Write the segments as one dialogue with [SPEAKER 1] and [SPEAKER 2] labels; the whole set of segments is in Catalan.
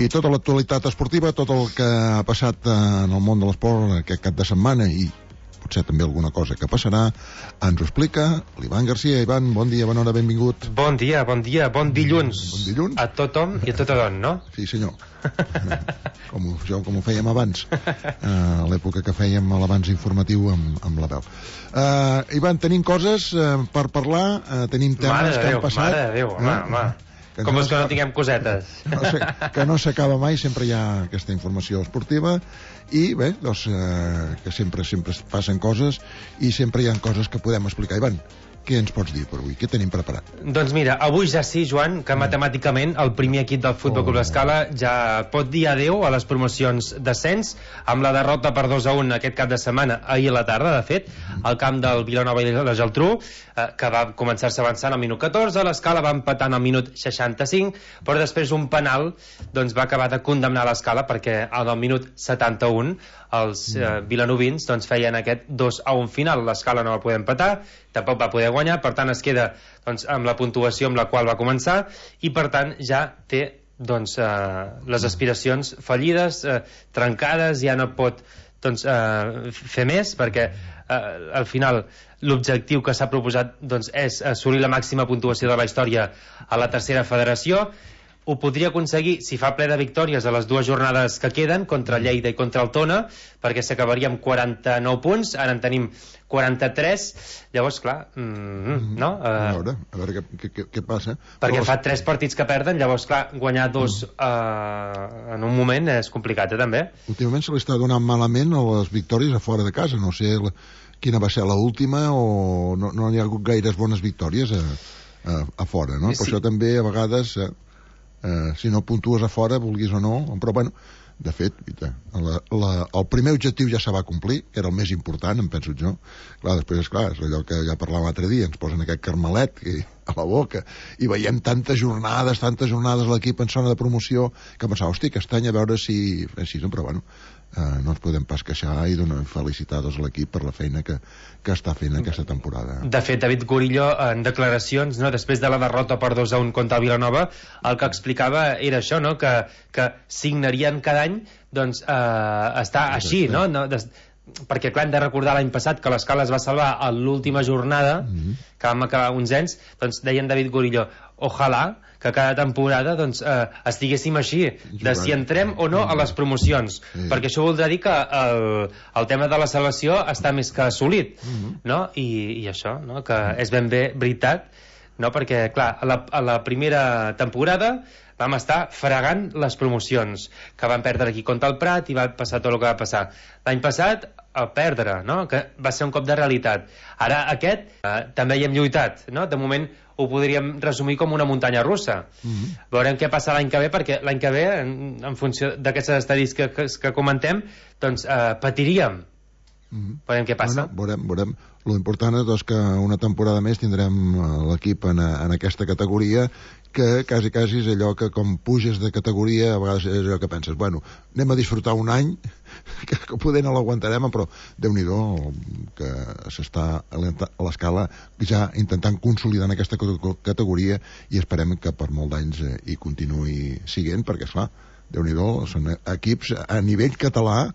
[SPEAKER 1] I tota l'actualitat esportiva, tot el que ha passat en el món de l'esport aquest cap de setmana i potser també alguna cosa que passarà, ens ho explica l'Ivan Garcia. Ivan, bon dia, bona hora, benvingut.
[SPEAKER 2] Bon dia, bon dilluns.
[SPEAKER 1] Bon dilluns.
[SPEAKER 2] A tothom i a tothom, no?
[SPEAKER 1] Sí, senyor. com ho fèiem abans, a l'època que fèiem l'abans informatiu amb la veu. Ivan, tenim coses per parlar, tenim temes que han passat.
[SPEAKER 2] Mare de Déu, home. Com és que no tinguem cosetes?
[SPEAKER 1] Que no s'acaba mai, sempre hi ha aquesta informació esportiva i bé, doncs que sempre passen coses i sempre hi ha coses que podem explicar. Ivan, què ens pots dir per avui? Què tenim preparat?
[SPEAKER 2] Doncs mira, avui ja sí, Joan, que matemàticament el primer equip del Futbol Club Escala ja pot dir adeu a les promocions d'ascens amb la derrota per 2-1 aquest cap de setmana, ahir a la tarda, de fet, al camp del Vilanova i la Geltrú, que va començar-se avançant al minut 14, l'Escala va empatant al minut 65, però després un penal doncs, va acabar de condemnar l'Escala perquè al minut 71 els vilanovins doncs, feien aquest 2-1 final. L'Escala no va poder empatar, tampoc va poder guanyar, per tant es queda doncs, amb la puntuació amb la qual va començar i per tant ja té doncs, les aspiracions fallides, trencades, ja no pot doncs, fer més perquè al final l'objectiu que s'ha proposat doncs, és assolir la màxima puntuació de la història a la tercera federació. Ho podria aconseguir si fa ple de victòries a les dues jornades que queden contra Lleida i contra el Tona, perquè s'acabaria amb 49 punts, ara en tenim 43, llavors clar no?
[SPEAKER 1] A veure què passa,
[SPEAKER 2] perquè fa 3 partits que perden, llavors clar, guanyar 2 en un moment és complicat, també.
[SPEAKER 1] Últimament se li està donant malament a les victòries a fora de casa, no sé quina va ser l'última o no hi ha hagut gaires bones victòries a fora, no? Per això també a vegades si no puntues a fora, vulguis o no, però bueno, de fet el primer objectiu ja se va complir, que era el més important, em penso jo. Clar, després és allò que ja parlàvem l'altre dia, ens posen aquest carmelet a la boca i veiem tantes jornades a l'equip en zona de promoció que pensava, hosti, aquest any a veure si però bueno, no ens podem pas queixar i donar felicitats a l'equip per la feina que està fent aquesta temporada.
[SPEAKER 2] De fet, David Gorillo, en declaracions, no, després de la derrota per 2-1 contra el Vilanova, el que explicava era això, no? que signarien cada any doncs, estar així, no? Perquè clar, hem de recordar l'any passat que l'Escala es va salvar a l'última jornada, que vam acabar 11, doncs deien David Gorillo, ojalà que cada temporada doncs, estiguéssim així, de si entrem o no a les promocions, perquè això voldrà dir que el tema de la salvació està més que assolit, no? I això, no? Que és ben bé veritat, no? Perquè clar, a la primera temporada vam estar fregant les promocions, que van perdre aquí contra el Prat i va passar tot el que va passar. L'any passat, a perdre, no? Que va ser un cop de realitat. Ara aquest també hi hem lluitat, no? De moment ho podríem resumir com una muntanya russa. Veurem què passa l'any que ve, perquè l'any que ve, en funció d'aquestes estadístiques que comentem, doncs patiríem. Veurem què passa.
[SPEAKER 1] Veurem. Lo important és que una temporada més tindrem l'equip en aquesta categoria, que quasi és allò que com puges de categoria a vegades és allò que penses, bueno, anem a disfrutar un any que poder no l'aguantarem, però Déu-n'hi-do que s'està a l'Escala ja intentant consolidar en aquesta categoria i esperem que per molt d'anys hi continuï siguent, perquè esclar, Déu-n'hi-do, són equips a nivell català,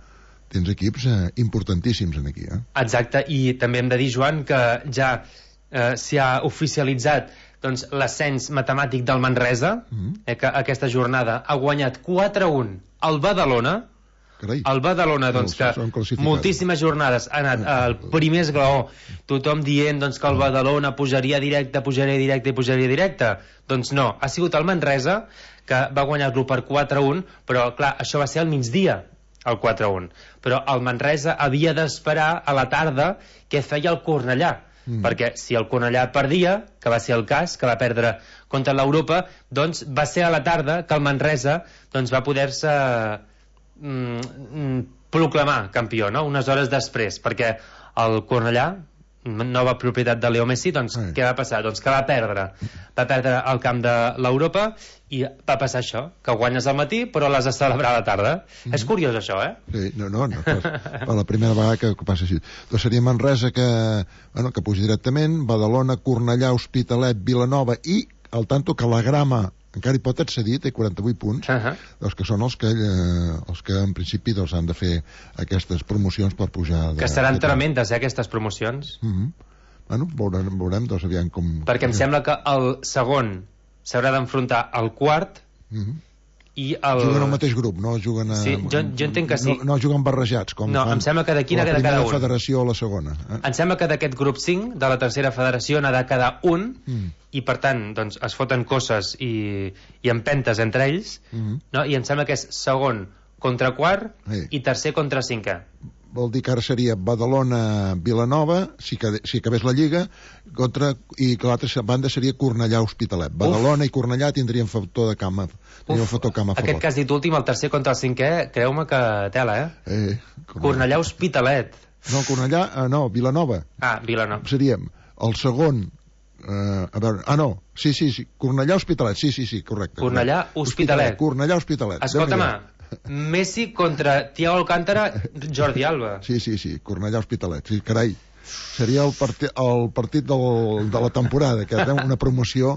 [SPEAKER 1] tens equips importantíssims aquí.
[SPEAKER 2] Exacte, i també hem de dir, Joan, que ja s'hi ha oficialitzat doncs, l'ascens matemàtic del Manresa, que aquesta jornada ha guanyat 4-1 al Badalona.
[SPEAKER 1] Carai.
[SPEAKER 2] El Badalona, doncs, que moltíssimes jornades ha anat al primer esglaó, tothom dient doncs, que el Badalona pujaria directe. Doncs no, ha sigut el Manresa que va guanyar-lo per 4-1, però clar, això va ser al migdia, el 4-1. Però el Manresa havia d'esperar a la tarda què feia el Cornellà, perquè si el Cornellà perdia, que va ser el cas, que va perdre contra l'Europa, doncs va ser a la tarda que el Manresa doncs, va poder-se proclamar campió, no? Unes hores després, perquè el Cornellà, nova propietat de Leo Messi, doncs què va passar? Doncs que va perdre al camp de l'Europa i va passar això, que guanyes al matí però l'has de celebrar a la tarda. És curiós això,
[SPEAKER 1] Sí, no, per la primera vegada que passa així. Doncs seria Manresa que puja directament, Badalona, Cornellà, Hospitalet, Vilanova i al tanto que la Grama encara hi pot accedir, té 48 punts, doncs que són els que en principi doncs, han de fer aquestes promocions per pujar...
[SPEAKER 2] Que seran tremendes, aquestes promocions.
[SPEAKER 1] Bueno, veurem, doncs, aviam com...
[SPEAKER 2] Perquè em sembla que el segon s'haurà d'enfrontar al quart i el...
[SPEAKER 1] Juguen al mateix grup, no juguen a...
[SPEAKER 2] Sí, jo entenc que sí.
[SPEAKER 1] No juguen barrejats, com
[SPEAKER 2] no,
[SPEAKER 1] fan
[SPEAKER 2] em sembla que d'aquí n'ha de quedar un.
[SPEAKER 1] La primera federació o la segona.
[SPEAKER 2] Em sembla que d'aquest grup 5, de la tercera federació, n'ha de quedar un, i per tant, doncs, es foten cosses i empentes entre ells, no? I em sembla que és segon contra quart i tercer contra cinquè.
[SPEAKER 1] Vol dir que ara seria Badalona-Vilanova, si acabés la Lliga, i que l'altra banda seria Cornellà-Hospitalet. Badalona i Cornellà tindrien factor de camp a favor.
[SPEAKER 2] Aquest que has dit últim, el tercer contra el cinquè, creu-me que tela, Cornellà-Hospitalet.
[SPEAKER 1] No, Cornellà, no, Vilanova.
[SPEAKER 2] Vilanova.
[SPEAKER 1] Seríem el segon... a veure, no, sí, Cornellà-Hospitalet, sí, correcte.
[SPEAKER 2] Cornellà-Hospitalet.
[SPEAKER 1] Cornellà-Hospitalet.
[SPEAKER 2] Escolta'm, Messi contra Thiago Alcántara, Jordi Alba.
[SPEAKER 1] Sí, Cornellà-Hospitalet, sí, carai. Seria el partit de la temporada, que té una promoció,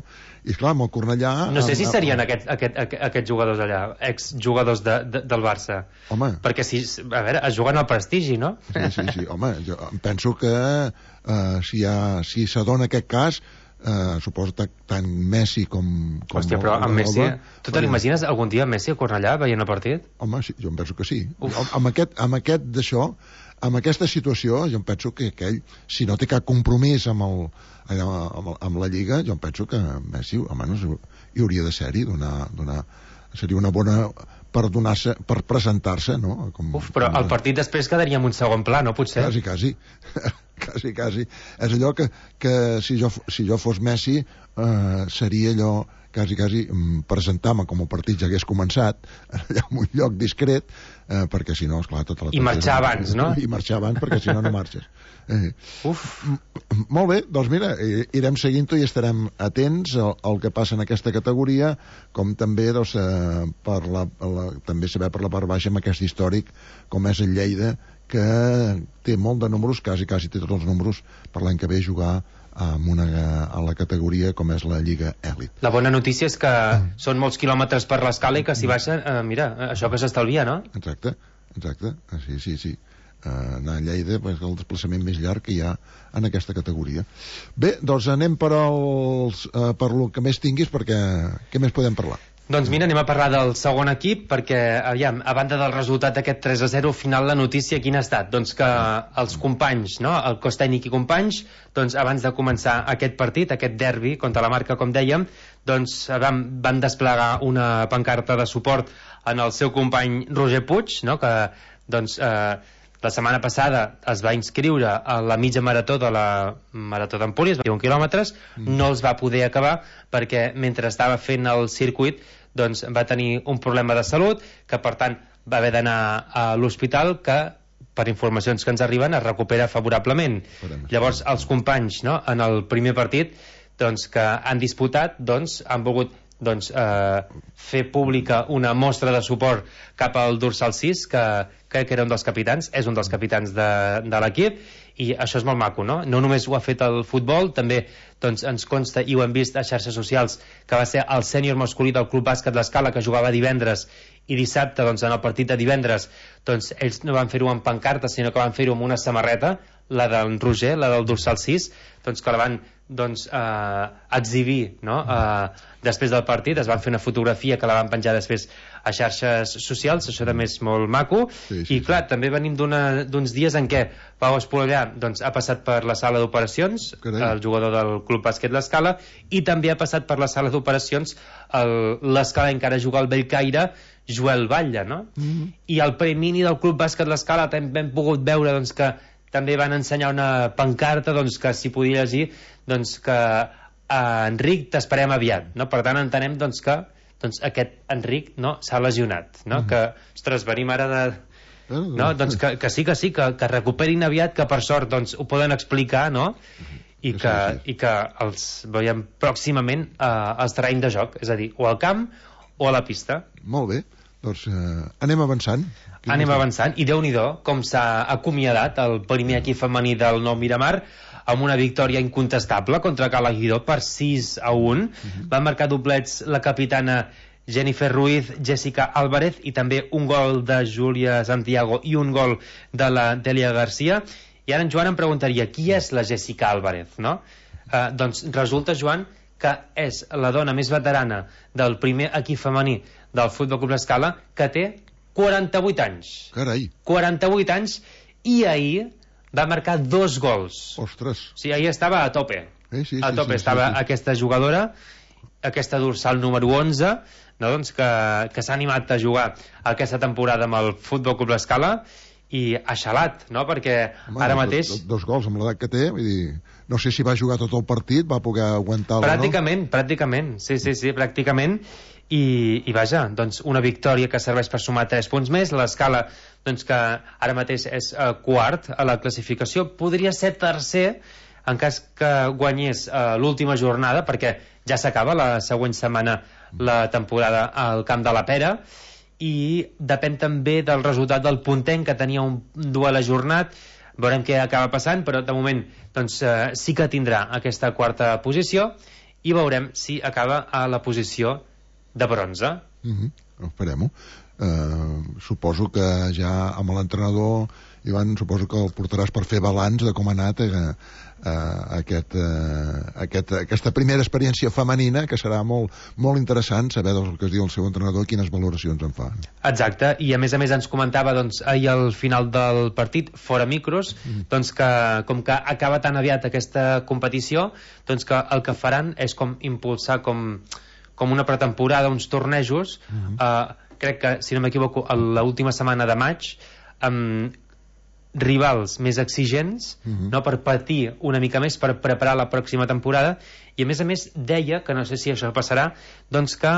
[SPEAKER 1] i esclar, amb el Cornellà...
[SPEAKER 2] No sé si serien aquests jugadors allà, exjugadors del Barça.
[SPEAKER 1] Home.
[SPEAKER 2] Perquè, a veure, es juguen al prestigi, no?
[SPEAKER 1] Sí, home, jo penso que si s'adona aquest cas, suposo tant Messi com
[SPEAKER 2] hòstia, però amb Messi... Tu te l'imagines algun dia Messi a Cornellà veient el partit?
[SPEAKER 1] Home, sí, jo em penso que sí. Amb aquesta situació, jo em penso que aquell, si no té cap compromís amb la Lliga, jo em penso que Messi, almenys, hi hauria de ser-hi, seria una bona per presentar-se, no?
[SPEAKER 2] Però el partit després quedaria en un segon pla, no? Potser?
[SPEAKER 1] Quasi. És allò que si jo fos Messi, seria allò quasi presentar-me com el partit ja hagués començat allà en un lloc discret, perquè si no, esclar, tota la...
[SPEAKER 2] I marxar abans, no?
[SPEAKER 1] I marxar abans, perquè si no marxes. Molt bé, doncs mira, irem seguint-ho i estarem atents al que passa en aquesta categoria, com també doncs, també saber per la part baixa amb aquest històric com és el Lleida, que té molt de números, quasi té tots els números per l'any que ve jugar a la categoria com és la Lliga Èlit.
[SPEAKER 2] La bona notícia és que són molts quilòmetres per l'escala i que si baixen, mira, això que s'estalvia, no?
[SPEAKER 1] Exacte, sí. Anar a Lleida és el desplaçament més llarg que hi ha en aquesta categoria. Bé, doncs anem per lo que més tinguis, perquè què més podem parlar?
[SPEAKER 2] Doncs mira, anem a parlar del segon equip, perquè, aviam, a banda del resultat d'aquest 3-0, al final la notícia quina ha estat? Doncs que els companys, no?, el cos tècnic i companys, doncs abans de començar aquest partit, aquest derbi contra la Marca, com dèiem, doncs van desplegar una pancarta de suport en el seu company Roger Puig, no?, que, doncs, la setmana passada es va inscriure a la mitja marató de la Marató d'Empúries, 21 quilòmetres, no els va poder acabar perquè mentre estava fent el circuit doncs va tenir un problema de salut, que per tant va haver d'anar a l'hospital, que per informacions que ens arriben es recupera favorablement. Llavors els companys, no?, en el primer partit doncs, que han disputat, doncs, han volgut fer pública una mostra de suport cap al dorsal 6, que crec que era un dels capitans, és un dels capitans de l'equip, i això és molt maco, no? No només ho ha fet el futbol, també doncs, ens consta, i ho hem vist a xarxes socials, que va ser el sènior masculí del Club Bàsquet L'Escala, que jugava divendres, i dissabte, doncs, en el partit de divendres, doncs, ells no van fer-ho amb pancarta, sinó que van fer-ho amb una samarreta, la del Roger, la del dorsal 6, doncs, que la van exhibir, no?, després del partit. Es van fer una fotografia que la van penjar després a xarxes socials, això també és molt maco. I clar, també venim d'uns dies en què Pau Espolillà doncs, ha passat per la sala d'operacions, el jugador del Club Bàsquet L'Escala, i també ha passat per la sala d'operacions l'Escala encara juga al Bellcaire, Joel Batlle, no? I al premini del Club Bàsquet L'Escala també hem pogut veure doncs, que també van ensenyar una pancarta doncs, que s'hi podia llegir doncs, que Enric t'esperem aviat, no? Per tant entenem doncs, que doncs, aquest Enric, no, s'ha lesionat, no? Que, ostres, venim ara de... No? Doncs que sí, que recuperin aviat, que per sort doncs, ho poden explicar, no? I que els veiem pròximament als terrenys de joc, és a dir, o al camp o a la pista.
[SPEAKER 1] Molt bé, doncs anem avançant.
[SPEAKER 2] Anem avançant, i Déu-n'hi-do com s'ha acomiadat el primer equip femení del Nou Miramar amb una victòria incontestable contra Calaguidó per 6-1. Van marcar doblets la capitana Jennifer Ruiz, Jessica Álvarez, i també un gol de Júlia Santiago i un gol de la Delia Garcia. I ara en Joan em preguntaria, qui és la Jessica Álvarez, no? Doncs resulta, Joan, que és la dona més veterana del primer equip femení del Futbol Club L'Escala, que té 48 anys.
[SPEAKER 1] Carai.
[SPEAKER 2] 48 anys, i ahir va marcar 2 gols.
[SPEAKER 1] Ostres.
[SPEAKER 2] Sí, ahir estava a tope.
[SPEAKER 1] Sí,
[SPEAKER 2] a tope estava aquesta jugadora, aquesta dorsal número 11, no, doncs que s'ha animat a jugar aquesta temporada amb el Futbol Club L'Escala, i ha xalat, no? Perquè ara mateix...
[SPEAKER 1] Dos gols amb l'edat que té, vull dir, no sé si va jugar tot el partit, va poder aguantar-lo,
[SPEAKER 2] pràcticament, sí, pràcticament, i vaja, doncs una victòria que serveix per sumar 3 punts més. L'Escala, doncs, que ara mateix és quart a la classificació, podria ser tercer en cas que guanyés l'última jornada, perquè ja s'acaba la següent setmana la temporada al Camp de la Pera, i depèn també del resultat del Pontent, que tenia un duel ajornat. Veurem què acaba passant, però de moment doncs, sí que tindrà aquesta quarta posició, i veurem si acaba a la posició de bronze.
[SPEAKER 1] Esperem-ho. Suposo que ja amb l'entrenador, Ivan, suposo que el portaràs per fer balanç de com ha anat aquesta primera experiència femenina, que serà molt, molt interessant saber del que es diu el seu entrenador i quines valoracions en fa.
[SPEAKER 2] Exacte, i a més ens comentava doncs, ahir al final del partit, fora micros, doncs que com que acaba tan aviat aquesta competició, doncs que el que faran és com impulsar com una pretemporada, uns tornejos, crec que, si no m'equivoco, l'última setmana de maig, amb rivals més exigents, no, per patir una mica més, per preparar la pròxima temporada. I a més deia, que no sé si això passarà, doncs que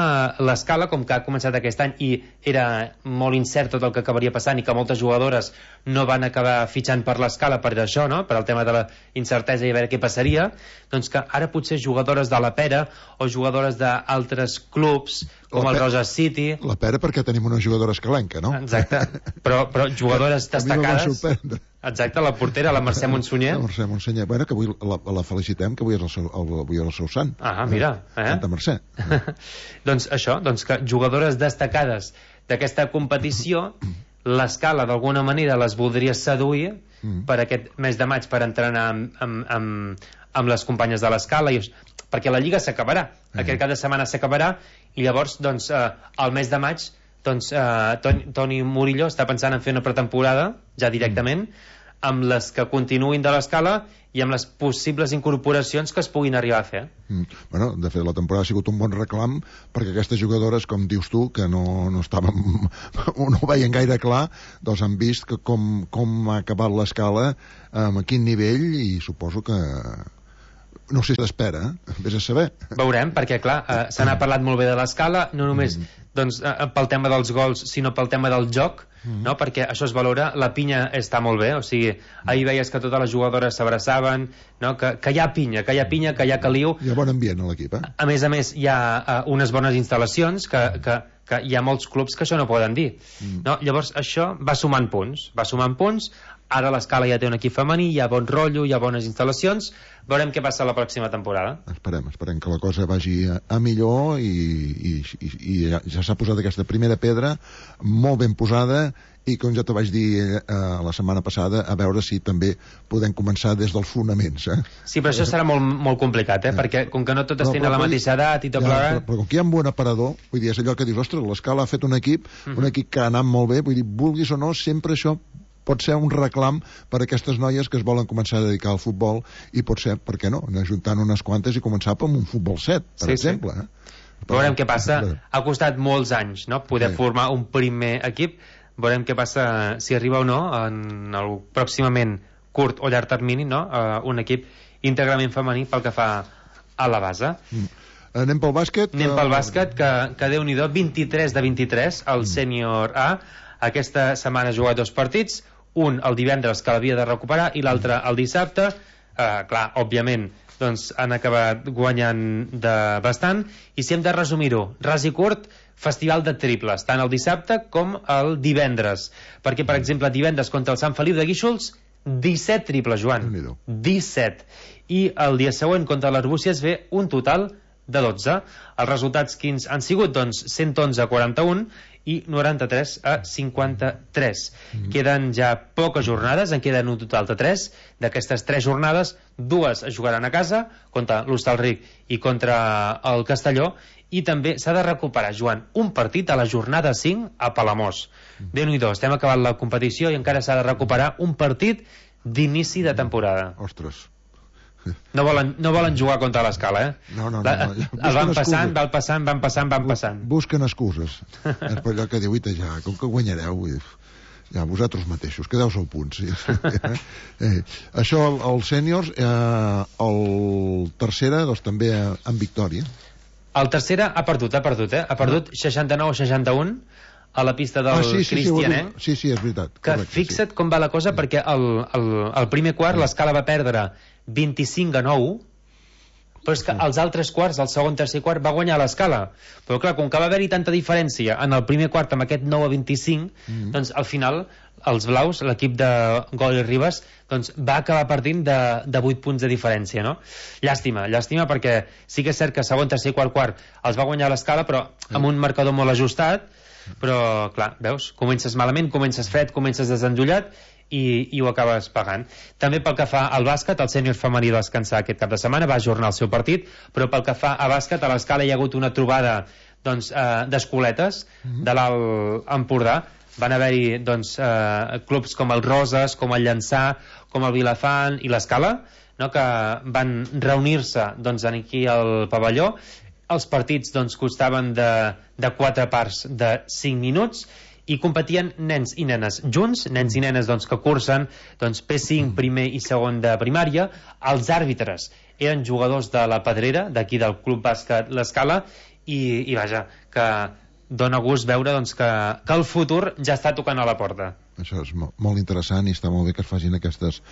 [SPEAKER 2] l'Escala, com que ha començat aquest any i era molt incert tot el que acabaria passant, i que moltes jugadores no van acabar fitxant per l'Escala per això, no?, per el tema de la incertesa i a veure què passaria, doncs que ara potser jugadores de la Pera o jugadores d'altres clubs com el Rosa City...
[SPEAKER 1] La Pera perquè tenim una jugadora escalenca, no?
[SPEAKER 2] Exacte, però jugadores destacades... Exacte, la portera, la Mercè Monsunyer.
[SPEAKER 1] La Mercè Monsunyer, bueno, que avui la felicitem, que avui és el seu sant.
[SPEAKER 2] Mira.
[SPEAKER 1] Santa Mercè.
[SPEAKER 2] Doncs això, doncs que jugadores destacades d'aquesta competició, l'Escala d'alguna manera les voldria seduir per aquest mes de maig, per entrenar amb les companyes de l'Escala, perquè la Lliga s'acabarà, aquest cap de setmana s'acabarà, i llavors, doncs, al mes de maig, doncs Toni Murillo està pensant en fer una pretemporada ja directament amb les que continuïn de l'Escala i amb les possibles incorporacions que es puguin arribar a fer.
[SPEAKER 1] Bueno, de fet, la temporada ha sigut un bon reclam perquè aquestes jugadores, com dius tu, que no estàvem no ho veien gaire clar, doncs han vist que com ha acabat l'Escala, a quin nivell, i suposo que no sé si s'espera, vés a saber.
[SPEAKER 2] Veurem, perquè clar, se n'ha parlat molt bé de l'Escala, no només doncs, pel tema dels gols, sinó pel tema del joc, no? Perquè això es valora, la pinya està molt bé, o sigui, ahir veies que totes les jugadores s'abraçaven, no? Que hi ha pinya, que hi ha caliu.
[SPEAKER 1] Hi ha bon ambient a l'equip,
[SPEAKER 2] A més, hi ha unes bones instal·lacions que hi ha molts clubs que això no poden dir, no? Llavors això va sumant punts. Ara l'Escala ja té un equip femení, hi ha bon rotllo, hi ha bones instal·lacions. Veurem què passa la pròxima temporada.
[SPEAKER 1] Esperem que la cosa vagi a millor, i ja s'ha posat aquesta primera pedra molt ben posada, i com ja te vaig dir la setmana passada, a veure si també podem començar des dels fonaments.
[SPEAKER 2] Sí, però això serà molt, molt complicat, perquè com que no totes tenen la mateixa edat i tot plegat...
[SPEAKER 1] Però com que hi ha un bon aparador, vull dir, és allò que dius, ostres, l'Escala ha fet un equip que ha anat molt bé, vull dir, vulguis o no, sempre això pot ser un reclam per a aquestes noies que es volen començar a dedicar al futbol, i pot ser, per què no, anar juntant unes quantes i començar amb un futbol 7, per exemple.
[SPEAKER 2] Veurem què passa. Ha costat molts anys, no?, poder formar un primer equip. Veurem què passa, si arriba o no en el pròximament curt o llarg termini, no?, un equip íntegrament femení pel que fa a la base.
[SPEAKER 1] Anem pel bàsquet?
[SPEAKER 2] Anem pel bàsquet, que Déu-n'hi-do, 23 de 23 al sènior A. Aquesta setmana ha jugat 2 partits, un el divendres, que l'havia de recuperar, i l'altre el dissabte. Clar, òbviament, doncs han acabat guanyant bastant. I si hem de resumir-ho, ras i curt, festival de triples, tant el dissabte com el divendres, perquè, per exemple, divendres contra el Sant Feliu de Guíxols, 17 triples, Joan. 17. I el dia següent contra l'Arbúcies ve un total de 12. Els resultats quins han sigut? Doncs 111-41 i 93-53. Queden ja poques jornades, en queden un total de 3. D'aquestes 3 jornades, 2 es jugaran a casa, contra l'Hostalric i contra el Castelló, i també s'ha de recuperar, Joan, un partit a la jornada 5 a Palamós. Déu-n'hi-do, estem acabant la competició i encara s'ha de recuperar un partit d'inici de temporada.
[SPEAKER 1] Ostres.
[SPEAKER 2] No volen jugar contra l'Escala, eh?
[SPEAKER 1] No.
[SPEAKER 2] Van passant.
[SPEAKER 1] Busquen excuses. És per allò que diu, ja, com que guanyareu, ja, vosaltres mateixos, quedeu-vos al punt. Sí. Això, els sèniors, el tercera, doncs també en victòria.
[SPEAKER 2] El tercera ha perdut 69-61 a la pista del Cristianet.
[SPEAKER 1] Sí, és veritat.
[SPEAKER 2] Que fixa't com va la cosa, perquè el primer quart l'Escala va perdre 25-9, però és que els altres quarts, el segon, tercer quart, va guanyar l'Escala. Però clar, com que va haver-hi tanta diferència en el primer quart amb aquest 9-25, doncs al final els blaus, l'equip de Gol i Ribas, doncs va acabar partint de 8 punts de diferència, no? Llàstima, perquè sí que és cert que segon, tercer i quart els va guanyar l'Escala, però amb un marcador molt ajustat. Però clar, veus, comences malament, comences fred, comences desendollat i ho acabes pagant. També pel que fa al bàsquet, el sènior femení va descansar aquest cap de setmana, va ajornar el seu partit, però pel que fa a bàsquet, a l'Escala hi ha hagut una trobada d'escoletes de l'Alt Empordà. Van haver-hi clubs com el Roses, com el Llançà, com el Vilafant i l'Escala, que van reunir-se aquí al pavelló. Els partits costaven de 4 parts de 5 minuts i competien nens i nenes junts, nens i nenes que cursen P5, primer i segon de primària. Els àrbitres eren jugadors de la Pedrera, d'aquí del Club Bàsquet l'Escala, i vaja, que dona gust veure que el futur ja està tocant a la porta.
[SPEAKER 1] Això és molt interessant i està molt bé que es facin aquestes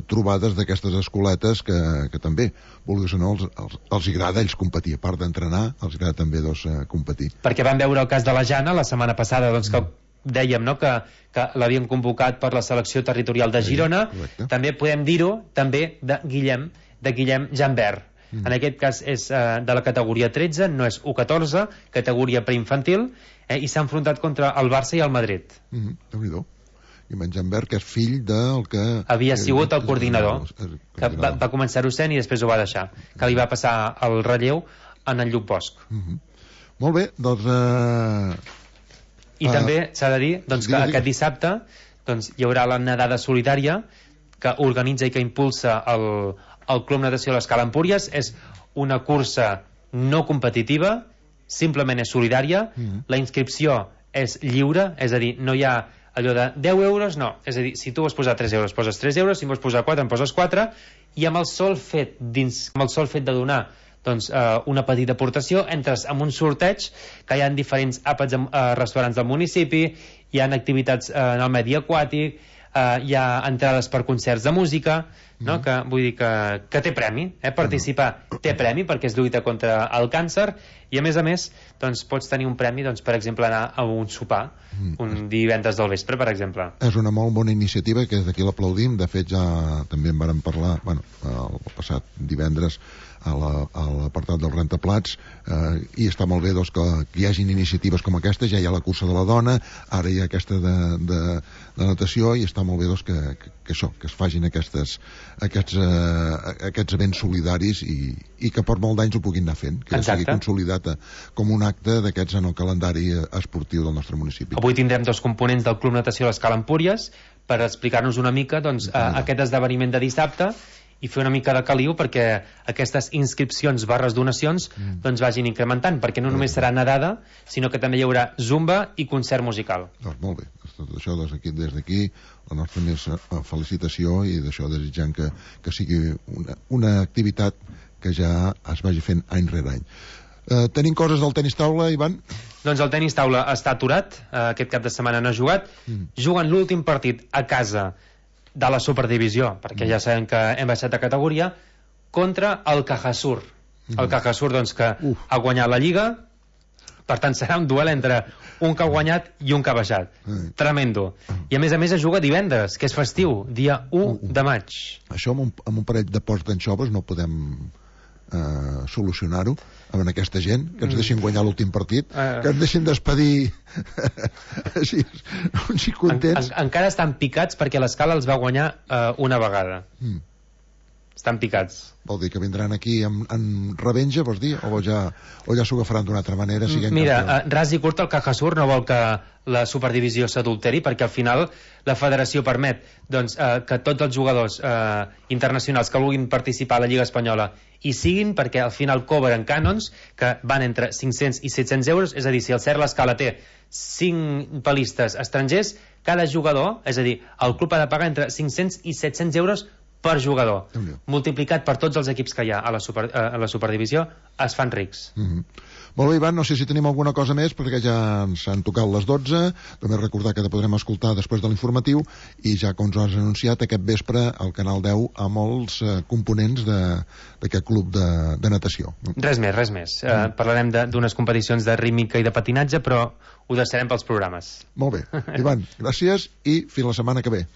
[SPEAKER 1] trobades d'aquestes escoletes que també, vulguis o no, els agrada a ells competir. A part d'entrenar, els agrada també competir.
[SPEAKER 2] Perquè van veure el cas de la Jana la setmana passada, que dèiem que l'havien convocat per la selecció territorial de Girona. També podem dir-ho també de Guillem Jambert. En aquest cas és de la categoria 13, no és U14, categoria preinfantil, i s'ha enfrontat contra el Barça i el Madrid.
[SPEAKER 1] Déu-n'hi-do. I en Jambert, que és fill del que...
[SPEAKER 2] Havia sigut el coordinador, que va començar-ho sent i després ho va deixar, que li va passar el relleu en el Lluc Bosch.
[SPEAKER 1] Molt bé, doncs...
[SPEAKER 2] I també s'ha de dir que aquest dissabte hi haurà la nedada solidària que organitza i que impulsa el Club Natació de l'Escala Empúries. És una cursa no competitiva, simplement és solidària. La inscripció és lliure, és a dir, no hi ha allò de 10 euros, no. És a dir, si tu vols posar 3 euros, poses 3 euros, si vols posar 4, en poses 4, i amb el sol fet de donar una petita aportació, entres en un sorteig que hi ha diferents àpats a restaurants del municipi, hi ha activitats en el medi aquàtic, hi ha entrades per concerts de música, que vull dir que té premi, participar té premi perquè és lluita contra el càncer, i a més pots tenir un premi, per exemple anar a un sopar un divendres del vespre, per exemple.
[SPEAKER 1] És una molt bona iniciativa que des d'aquí l'aplaudim. De fet ja també en vàrem parlar el passat divendres a l'apartat del rentaplats, i està molt bé que hi hagin iniciatives com aquesta. Ja hi ha la cursa de la dona, ara hi ha aquesta de natació, i està molt bé que es facin aquests events solidaris i que per molt d'anys ho puguin anar fent, que sigui consolidat com un acte d'aquests en el calendari esportiu del nostre municipi.
[SPEAKER 2] Avui tindrem 2 components del Club Natació a l'Escala Empúries per explicar-nos una mica aquest esdeveniment de dissabte i fer una mica de caliu perquè aquestes inscripcions / donacions vagin incrementant, perquè no només serà nedada, sinó que també hi haurà zumba i concert musical.
[SPEAKER 1] Doncs molt bé, tot això des d'aquí la nostra més felicitació, i d'això desitjant que sigui una activitat que ja es vagi fent any rere any. Tenim coses del tenis taula, Ivan?
[SPEAKER 2] Doncs el tenis taula està aturat, aquest cap de setmana no ha jugat. Juguen l'últim partit a casa de la Superdivisió, perquè ja sabem que hem baixat de categoria, contra el Cajasur. El Cajasur, que ha guanyat la Lliga, Per tant, serà un duel entre un que ha guanyat i un que ha baixat. Tremendo. I a més es juga divendres, que és festiu, dia 1 de maig.
[SPEAKER 1] Això amb un parell de ports d'anxoves no podem solucionar-ho amb aquesta gent, que ens deixin guanyar l'últim partit, que ens deixin despedir així, uns i contents.
[SPEAKER 2] Encara estan picats perquè l'Escala els va guanyar una vegada. Estan picats.
[SPEAKER 1] Vol dir que vindran aquí en revenja, vols dir? O ja s'ho agafaran d'una altra manera?
[SPEAKER 2] Mira, ras i curt, el Cajasur no vol que la superdivisió s'adulteri, perquè al final la federació permet que tots els jugadors internacionals que vulguin participar a la Lliga Espanyola hi siguin, perquè al final cobren cànons que van entre 500 i 700 euros, és a dir, si el CER l'Escala té 5 pelistes estrangers, cada jugador, és a dir, el club ha de pagar entre 500 i 700 euros per jugador. Multiplicat per tots els equips que hi ha a la superdivisió, es fan rics.
[SPEAKER 1] Molt bé, Ivan, no sé si tenim alguna cosa més, perquè ja ens han tocat les 12. Només recordar que te podrem escoltar després de l'informatiu, i ja com ens has anunciat aquest vespre al Canal 10 amb els components d'aquest club de natació.
[SPEAKER 2] Res més. Parlarem d'unes competicions de rítmica i de patinatge, però ho deixarem pels programes.
[SPEAKER 1] Molt bé. Ivan, gràcies i fins la setmana que ve.